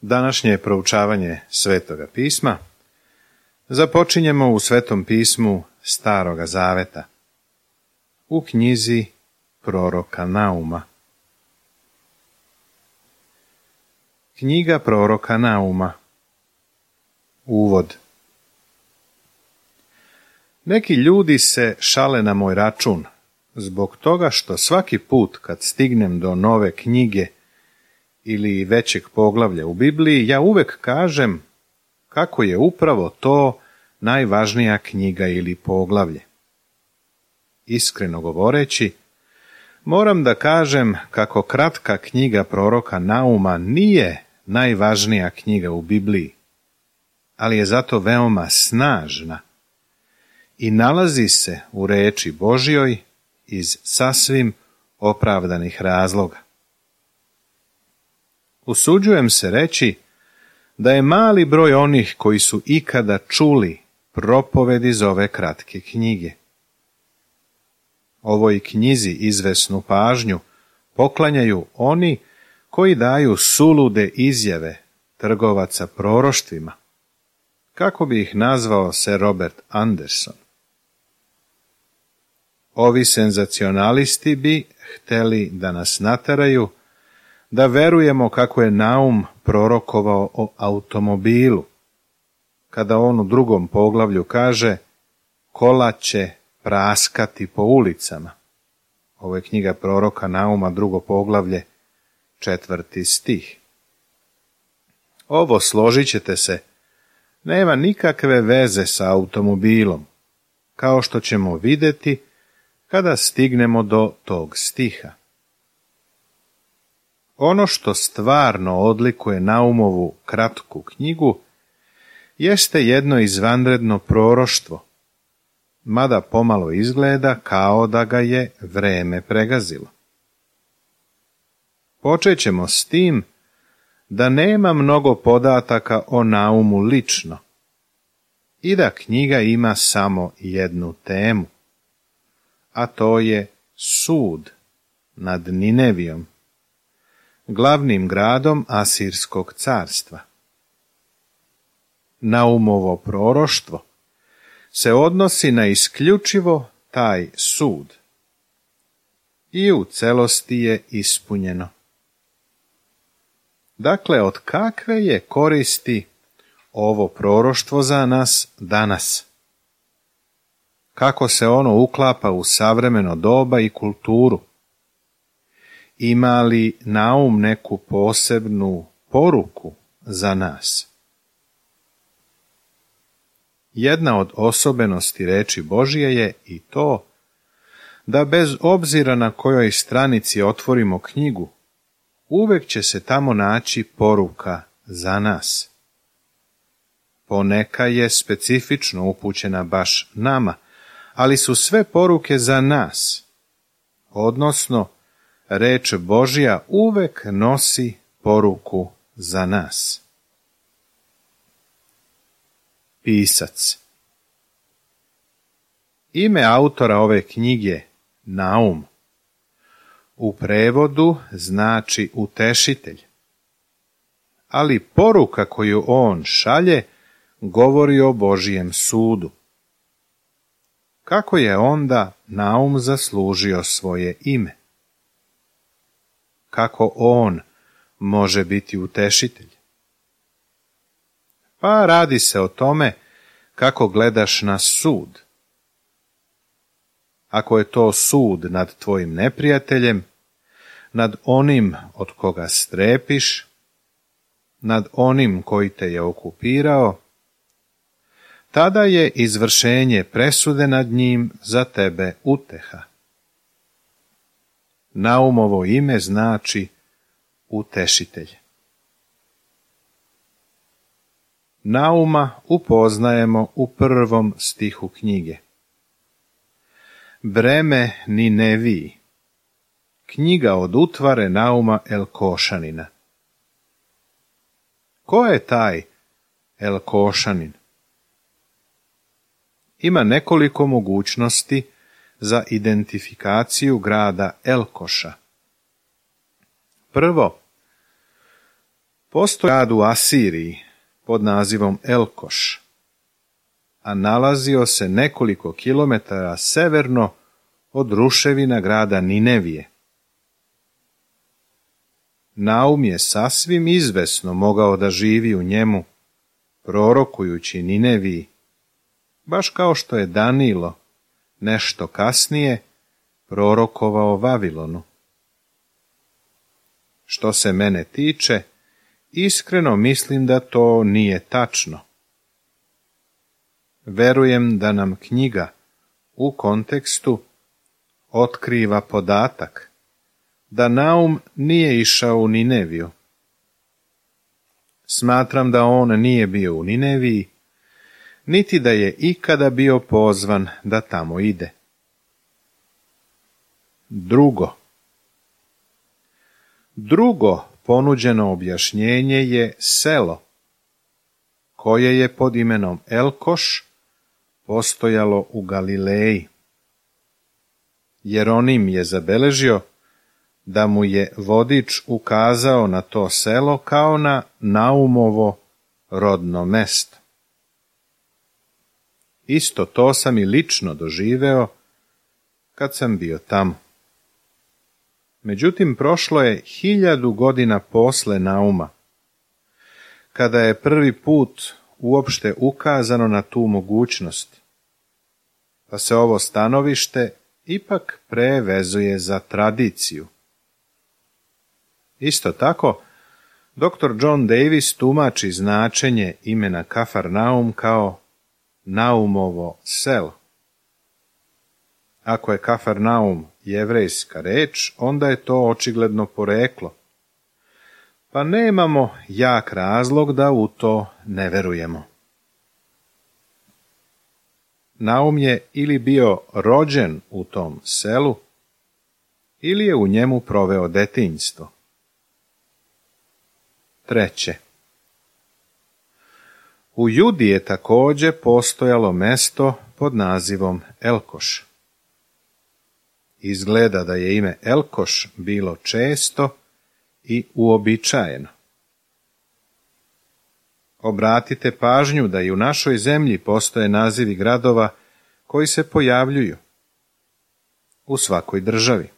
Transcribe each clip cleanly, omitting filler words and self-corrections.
Današnje proučavanje Svetoga pisma započinjemo u Svetom pismu Staroga zaveta, u knjizi proroka Nauma. Knjiga proroka Nauma. Uvod. Neki ljudi se šale na moj račun, zbog toga što svaki put kad stignem do nove knjige ili većeg poglavlja u Bibliji, ja uvek kažem kako je upravo to najvažnija knjiga ili poglavlje. Iskreno govoreći, moram da kažem kako kratka knjiga proroka Nauma nije najvažnija knjiga u Bibliji, ali je zato veoma snažna i nalazi se u reči Božjoj iz sasvim opravdanih razloga. Usuđujem se reći da je mali broj onih koji su ikada čuli propoved iz ove kratke knjige. Ovoj knjizi izvesnu pažnju poklanjaju oni koji daju sulude izjave trgovaca proroštvima, kako bi ih nazvao Sir Robert Anderson. Ovi senzacionalisti bi hteli da nas nateraju da verujemo kako je Naum prorokovao o automobilu, kada on u drugom poglavlju kaže kola će praskati po ulicama. Ovo je knjiga proroka Nauma, 2. poglavlje, 4. stih. Ovo, složit ćete se, nema nikakve veze sa automobilom, kao što ćemo vidjeti kada stignemo do tog stiha. Ono što stvarno odlikuje Naumovu kratku knjigu jeste jedno izvanredno proroštvo, mada pomalo izgleda kao da ga je vreme pregazilo. Počet ćemo s tim da nema mnogo podataka o Naumu lično i da knjiga ima samo jednu temu, a to je sud nad Ninevijom, glavnim gradom Asirskog carstva. Naumovo proroštvo se odnosi na isključivo taj sud i u celosti je ispunjeno. Dakle, od kakve je koristi ovo proroštvo za nas danas? Kako se ono uklapa u savremeno doba i kulturu? Ima li Naum neku posebnu poruku za nas? Jedna od osobenosti reči Božje je i to da bez obzira na kojoj stranici otvorimo knjigu, uvek će se tamo naći poruka za nas. Poneka je specifično upućena baš nama, ali su sve poruke za nas, odnosno reč Božja uvek nosi poruku za nas. Pisac. Ime autora ove knjige, Naum, u prevodu znači utešitelj, ali poruka koju on šalje govori o Božjem sudu. Kako je onda Naum zaslužio svoje ime? Kako on može biti utešitelj? Pa radi se o tome kako gledaš na sud. Ako je to sud nad tvojim neprijateljem, nad onim od koga strepiš, nad onim koji te je okupirao, tada je izvršenje presude nad njim za tebe uteha. Naumovo ime znači utešitelj. Nauma upoznajemo u 1. stihu knjige. Breme Nineviji. Knjiga od utvare Nauma Elkošanina. Ko je taj Elkošanin? Ima nekoliko mogućnosti za identifikaciju grada Elkoša. Prvo, Postoji grad u Asiriji pod nazivom Elkoš, a nalazio se nekoliko kilometara severno od ruševina grada Ninevije. Naum je sasvim izvesno mogao da živi u njemu, prorokujući Nineviji, baš kao što je Danilo nešto kasnije prorokovao Vavilonu. Što se mene tiče, iskreno mislim da to nije tačno. Verujem da nam knjiga u kontekstu otkriva podatak da Naum nije išao u Nineviju. Smatram da on nije bio u Nineviji, niti da je ikada bio pozvan da tamo ide. Drugo ponuđeno objašnjenje je selo, koje je pod imenom Elkoš postojalo u Galileji. Jeronim je zabeležio da mu je vodič ukazao na to selo kao na Naumovo rodno mesto. Isto to sam i lično doživeo kad sam bio tamo. Međutim, prošlo je 1000 godina posle Nauma, kada je prvi put uopšte ukazano na tu mogućnost, pa se ovo stanovište ipak prevezuje za tradiciju. Isto tako, dr. John Davis tumači značenje imena Kafarnaum kao Naumovo selo. Ako je Kafarnaum jevrejska reč, onda je to očigledno poreklo, pa nemamo jak razlog da u to ne verujemo. Naum je ili bio rođen u tom selu, ili je u njemu proveo detinjstvo. 3. U Judi je također postojalo mesto pod nazivom Elkoš. Izgleda da je ime Elkoš bilo često i uobičajeno. Obratite pažnju da i u našoj zemlji postoje nazivi gradova koji se pojavljuju u svakoj državi.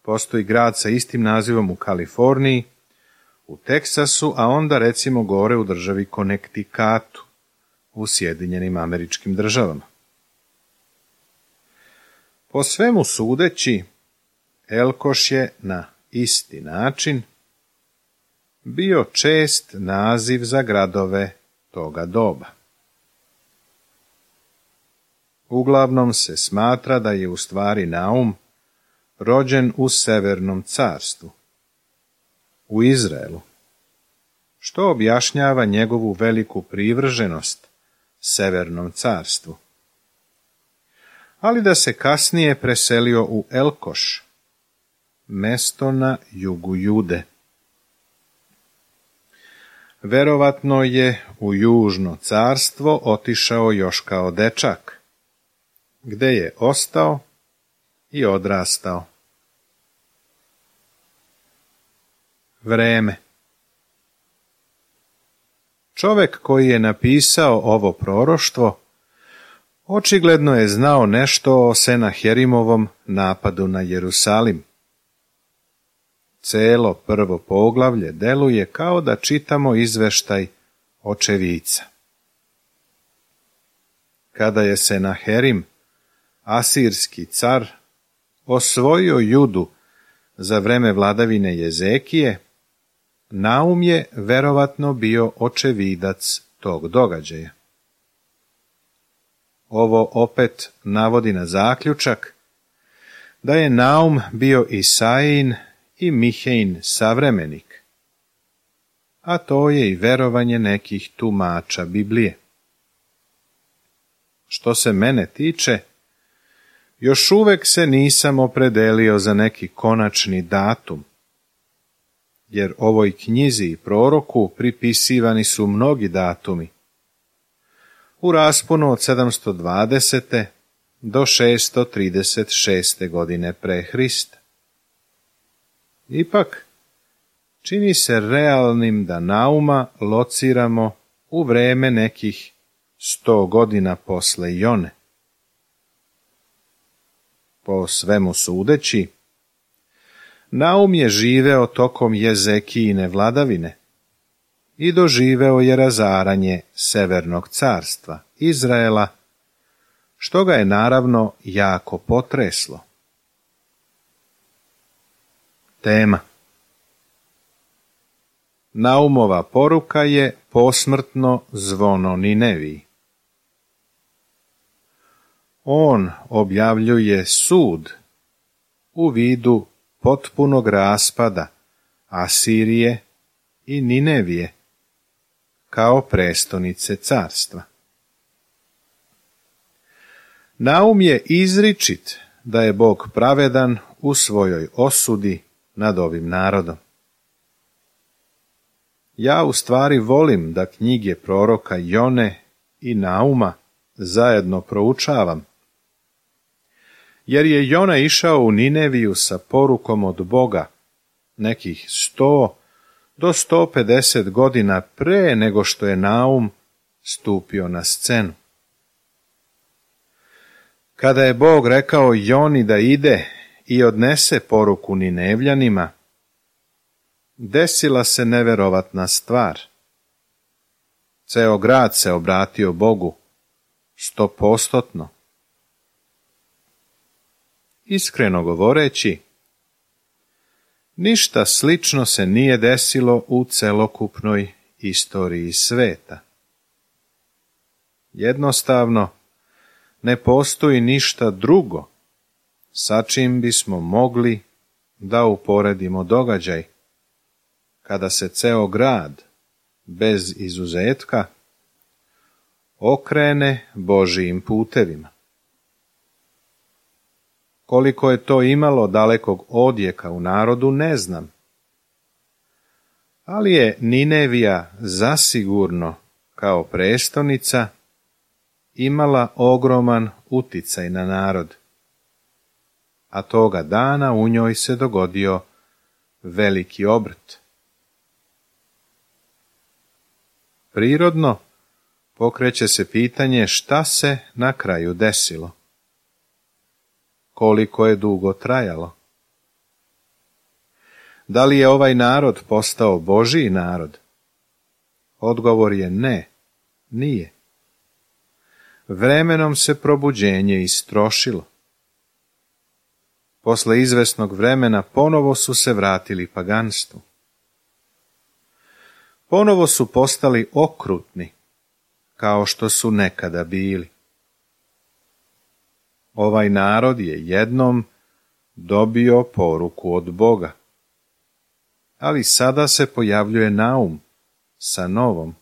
Postoji grad sa istim nazivom u Kaliforniji, u Teksasu, a onda recimo gore u državi Konektikatu u Sjedinjenim Američkim Državama. Po svemu sudeći, Elkoš je na isti način bio čest naziv za gradove toga doba. Uglavnom se smatra da je u stvari Naum rođen u Severnom carstvu, u Izraelu, što objašnjava njegovu veliku privrženost Severnom carstvu, ali da se kasnije preselio u Elkoš, mesto na jugu Jude. Verovatno je u Južno carstvo otišao još kao dečak, gde je ostao i odrastao. Vreme. Čovek koji je napisao ovo proroštvo očigledno je znao nešto o Senaherimovom napadu na Jerusalim. Celo prvo poglavlje deluje kao da čitamo izveštaj očevica. Kada je Senaherim, asirski car, osvojio Judu za vreme vladavine Jezekije, Naum je verovatno bio očevidac tog događaja. Ovo opet navodi na zaključak da je Naum bio Isaijin i Mihejin savremenik, a to je i verovanje nekih tumača Biblije. Što se mene tiče, još uvek se nisam opredelio za neki konačni datum, jer ovoj knjizi i proroku pripisivani su mnogi datumi, u rasponu od 720. do 636. godine pre Hrista. Ipak, čini se realnim da Nauma lociramo u vreme nekih 100 godina posle Jone. Po svemu sudeći, Naum je živeo tokom Jezekijine vladavine i doživeo je razaranje Severnog carstva Izraela, što ga je naravno jako potreslo. Tema. Naumova poruka je posmrtno zvono Nineviji. On objavljuje sud u vidu potpunog raspada Asirije i Ninevije kao prestonice carstva. Naum je izričit da je Bog pravedan u svojoj osudi nad ovim narodom. Ja u stvari volim da knjige proroka Jone i Nauma zajedno proučavam, jer je Jona išao u Nineviju sa porukom od Boga nekih 100 do 150 godina pre nego što je Naum stupio na scenu. Kada je Bog rekao Joni da ide i odnese poruku Ninevljanima, desila se neverovatna stvar. Ceo grad se obratio Bogu 100%. Iskreno govoreći, ništa slično se nije desilo u celokupnoj istoriji sveta. Jednostavno, ne postoji ništa drugo sa čim bismo mogli da uporedimo događaj kada se ceo grad, bez izuzetka, okrene Božijim putevima. Koliko je to imalo dalekog odjeka u narodu, ne znam. Ali je Ninevija zasigurno, kao prestonica, imala ogroman uticaj na narod, a toga dana u njoj se dogodio veliki obrt. Prirodno pokreće se pitanje šta se na kraju desilo. Koliko je dugo trajalo? Da li je ovaj narod postao Božiji narod? Odgovor je ne, nije. Vremenom se probuđenje istrošilo. Posle izvesnog vremena ponovo su se vratili paganstvu. Ponovo su postali okrutni, kao što su nekada bili. Ovaj narod je jednom dobio poruku od Boga, ali sada se pojavljuje Naum sa novom.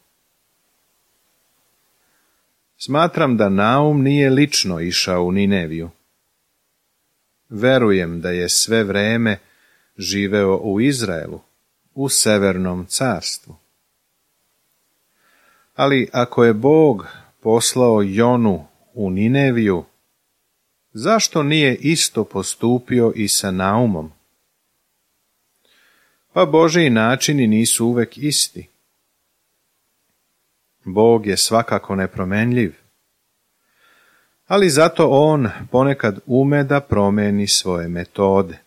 Smatram da Naum nije lično išao u Nineviju. Verujem da je sve vreme živeo u Izraelu, u Severnom carstvu. Ali ako je Bog poslao Jonu u Nineviju, zašto nije isto postupio i sa Naumom? Pa Božiji načini nisu uvek isti. Bog je svakako nepromenljiv, ali zato on ponekad ume da promeni svoje metode.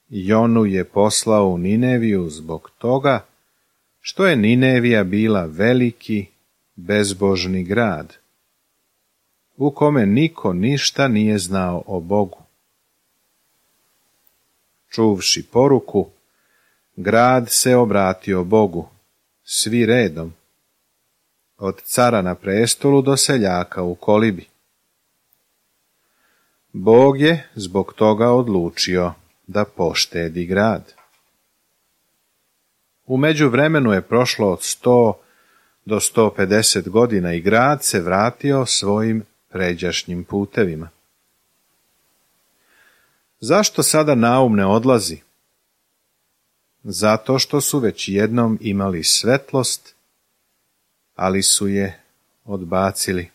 Jonu je poslao u Nineviju zbog toga što je Ninevija bila veliki, bezbožni grad, u kome niko ništa nije znao o Bogu. Čuvši poruku, grad se obratio Bogu, svi redom, od cara na prestolu do seljaka u kolibi. Bog je zbog toga odlučio da poštedi grad. U međuvremenu je prošlo od 100 do 150 godina i grad se vratio svojim pređašnjim putevima. Zašto sada Naum ne odlazi? Zato što su već jednom imali svetlost, ali su je odbacili.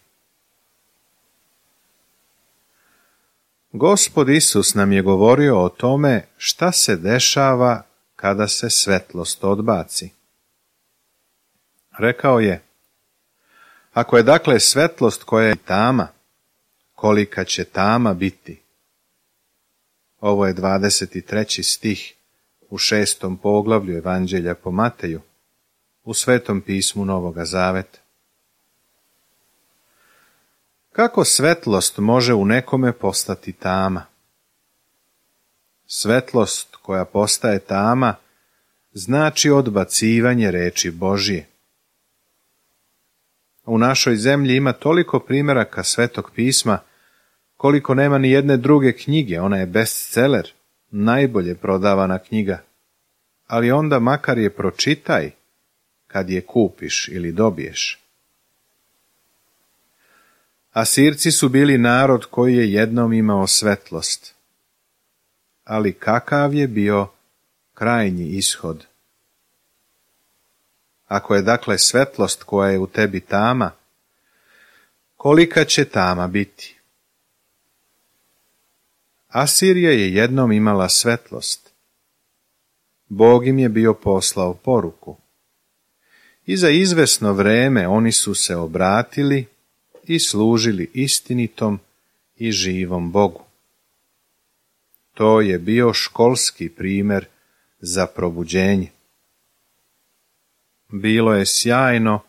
Gospod Isus nam je govorio o tome šta se dešava kada se svetlost odbaci. Rekao je, ako je dakle svetlost koja je tama, kolika će tama biti? Ovo je 23. stih u 6. poglavlju Evanđelja po Mateju, u Svetom pismu Novoga Zaveta. Kako svetlost može u nekome postati tama? Svetlost koja postaje tama znači odbacivanje reči Božje. U našoj zemlji ima toliko primjeraka Svetog pisma koliko nema ni jedne druge knjige, ona je bestseller, najbolje prodavana knjiga. Ali onda makar je pročitaj kad je kupiš ili dobiješ. Asirci su bili narod koji je jednom imao svetlost. Ali kakav je bio krajnji ishod? Ako je dakle svetlost koja je u tebi tama, kolika će tama biti? Asirija je jednom imala svetlost. Bog im je bio poslao poruku. I za izvesno vreme oni su se obratili i služili istinitom i živom Bogu. To je bio školski primjer za probuđenje. Bilo je sjajno,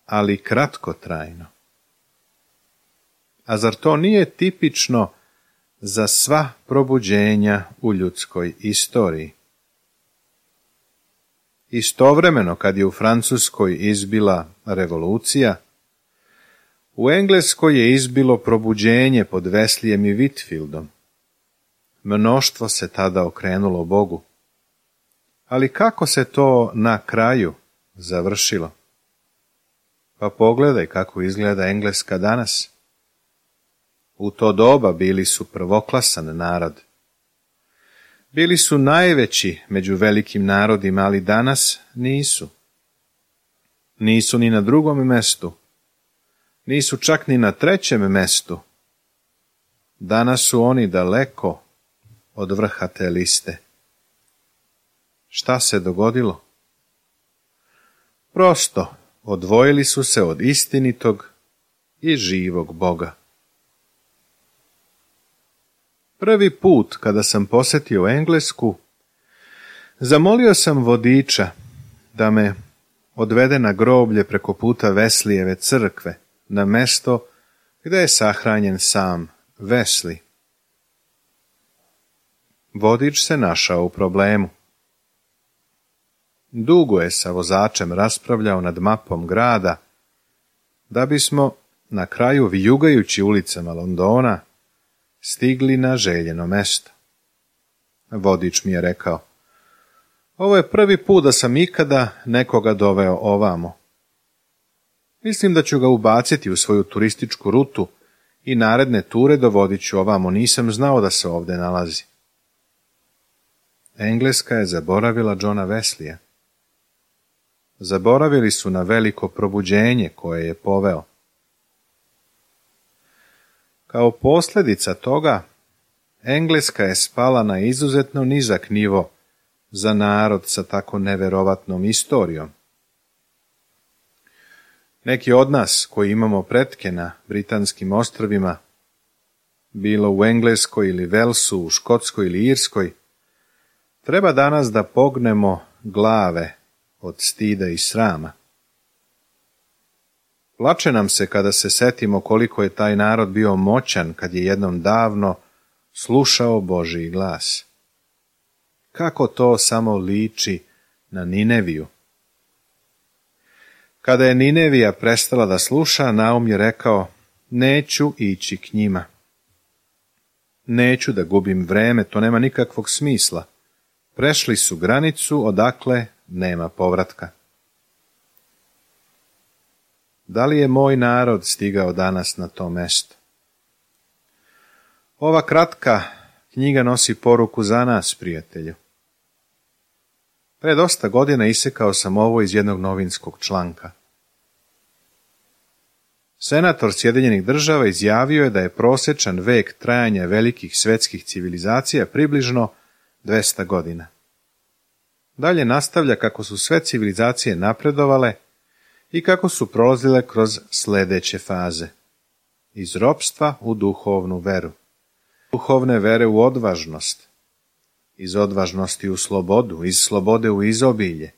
ali kratkotrajno. A zar to nije tipično za sva probuđenja u ljudskoj istoriji? Istovremeno, kad je u Francuskoj izbila revolucija, u Engleskoj je izbilo probuđenje pod Wesleym i Whitfieldom. Mnoštvo se tada okrenulo Bogu. Ali kako se to na kraju završilo? Pa pogledaj kako izgleda Engleska danas. U to doba bili su prvoklasan narod. Bili su najveći među velikim narodima, ali danas nisu. Nisu ni na drugom mestu. Nisu čak ni na trećem mestu. Danas su oni daleko od vrha te liste. Šta se dogodilo? Prosto, odvojili su se od istinitog i živog Boga. Prvi put kada sam posjetio Englesku, zamolio sam vodiča da me odvede na groblje preko puta Wesleyjeve crkve, na mesto gdje je sahranjen sam Wesley. Vodič se našao u problemu. Dugo je sa vozačem raspravljao nad mapom grada, da bismo na kraju, vijugajući ulicama Londona, stigli na željeno mesto. Vodič mi je rekao, ovo je prvi put da sam ikada nekoga doveo ovamo. Mislim da ću ga ubaciti u svoju turističku rutu i naredne ture dovodit ću ovamo, nisam znao da se ovdje nalazi. Engleska je zaboravila Johna Wesleya. Zaboravili su na veliko probuđenje koje je poveo. Kao posljedica toga, Engleska je spala na izuzetno nizak nivo za narod sa tako neverovatnom istorijom. Neki od nas koji imamo pretke na Britanskim ostrvima, bilo u Engleskoj ili Velsu, u Škotskoj ili Irskoj, treba danas da pognemo glave od stida i srama. Plače nam se kada se setimo koliko je taj narod bio moćan kad je jednom davno slušao Božji glas. Kako to samo liči na Nineviju. Kada je Ninevija prestala da sluša, Naum je rekao, neću ići k njima. Neću da gubim vreme, to nema nikakvog smisla. Prešli su granicu, odakle nema povratka. Da li je moj narod stigao danas na to mesto? Ova kratka knjiga nosi poruku za nas, prijatelju. Pre dosta godina isekao sam ovo iz jednog novinskog članka. Senator Sjedinjenih Država izjavio je da je prosječan vek trajanja velikih svetskih civilizacija približno 200 godina. dalje nastavlja kako su sve civilizacije napredovale i kako su prolazile kroz sljedeće faze. Iz ropstva u duhovnu veru, duhovne vere u odvažnost, iz odvažnosti u slobodu, iz slobode u izobilje,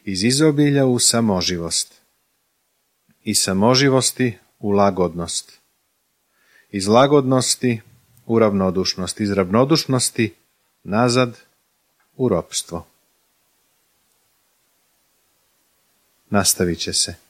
iz izobilja u samoživost, iz samoživosti u lagodnost, iz lagodnosti u ravnodušnost, iz ravnodušnosti nazad u ropstvo. Nastavit će se.